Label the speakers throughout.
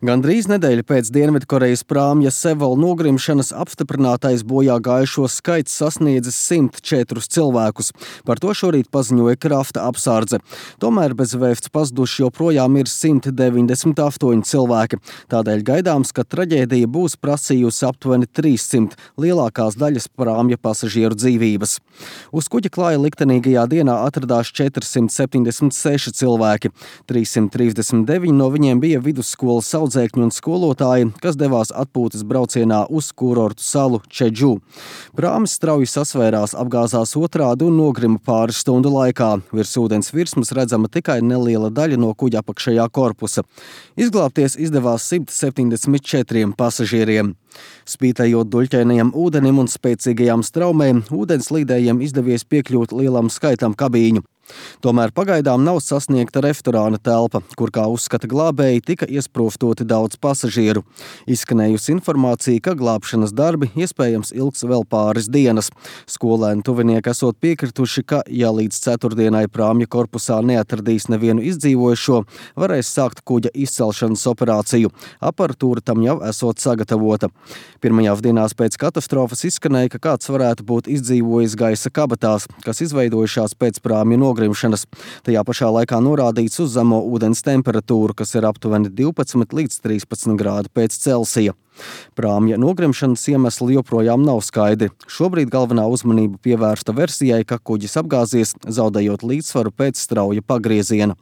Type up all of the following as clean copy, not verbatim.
Speaker 1: Gandrīz nedēļu pēc Dienvidkorejas prāmja Seval nogrimšanas apstiprinātais bojā gājušo skaits sasniedzis 104 cilvēkus. Par to šorīt paziņoja krafta apsardze. Tomēr bez vēsts pazuduši joprojām ir 198 cilvēki. Tādēļ gaidāms, ka traģēdija būs prasījusi aptuveni 300 lielākās daļas prāmja pasažieru dzīvības. Uz kuģa klāja liktenīgajā dienā atradās 476 cilvēki. 339 no viņiem bija vidusskolas audzēkņi un skolotāji, kas devās atpūtas braucienā uz kurortu salu Čedžu. Prāmis strauji sasvērās, apgāzās otrādi un nogrima pāris stundu laikā. Virs ūdens virsmas redzama tikai neliela daļa no kuģa apakšējā korpusa. Izglābties izdevās 174 pasažieriem. Spītējot duļķainajam ūdenim un spēcīgajām straumēm, ūdenslīdējiem izdevies piekļūt lielam skaitam kabīņu. Tomēr pagaidām nav sasniegta restorāna telpa, kur, kā uzskata glābēji, tika iesprūstoti daudz pasažieru. Izskanējusi informācija, ka glābšanas darbi iespējams ilgs vēl pāris dienas. Skolēni tuvinieki esot piekrituši, ka, ja līdz ceturtdienai prāmja korpusā neatradīs nevienu izdzīvojušo, varēs sākt kuģa izcelšanas operāciju. Aparatūra tam jau esot sagatavota. Pirmajās dienās pēc katastrofas izskanēja, ka kāds varētu būt izdzīvojis gaisa kabatās, kas izveidojušās pēc prāmja nogrimšanas. Tajā pašā laikā norādīts uz zemo ūdens temperatūru, kas ir aptuveni 12 līdz 13 grādi pēc Celsija. Prāmja nogrimšanas iemesli joprojām nav skaidri. Šobrīd galvenā uzmanība pievērsta versijai, ka kuģis apgāzies, zaudējot līdzsvaru pēc strauja pagrieziena.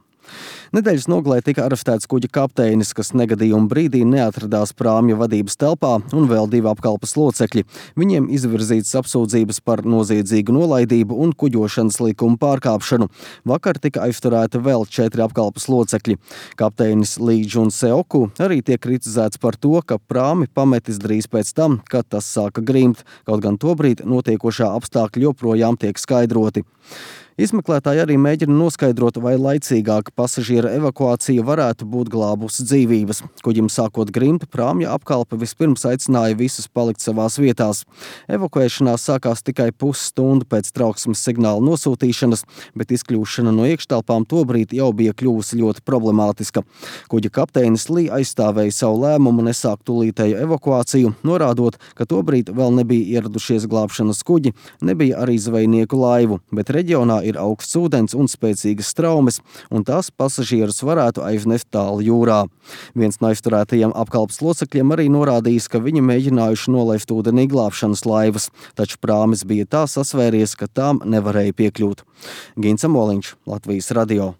Speaker 1: Nedēļas nogalē tika arestēts kuģa kapteinis, kas negadījuma brīdī neatradās prāmja vadības telpā, un vēl 2 apkalpes locekļi. Viņiem izvirzītas apsūdzības par noziedzīgu nolaidību un kuģošanas likuma pārkāpšanu. Vakar tika aizturēti vēl 4 apkalpes locekļi. Kapteinis Lee Jun-seoku arī tiek kritizēts par to, ka prāmi pametis drīz pēc tam, kad tas sāka grimt, kaut gan tobrīd notiekošā apstākļi joprojām tiek skaidroti. Izmeklētāji arī mēģina noskaidrot, vai laicīgāka pasažiera evakuācija varētu būt glābusi dzīvības. Kuģim sākot grimt, prāmja apkalpe vispirms aicināja visus palikt savās vietās. Evakuēšanās sākās tikai pusstundu pēc trauksmes signāla nosūtīšanas, bet izkļūšana no iekštelpām tobrīd jau bija kļuvusi ļoti problemātiska. Kuģa kapteinis Lee aizstāvēja savu lēmumu nesākt tūlītēju evakuāciju, norādot, ka tobrīd vēl nebija ieradušies glābšanas kuģi, nebija arī zvejnieku laivu, bet reģionā ir augsts ūdens un spēcīgas straumes, un tās pasažierus varētu aiznest tālu jūrā. Viens no aizturētajiem apkalpes locekļiem arī norādījis, ka viņi mēģinājuši nolaist ūdenī glābšanas laivas, taču prāmis bija tā sasvēries, ka tām nevarēja piekļūt. Gins Amoliņš, Latvijas radio.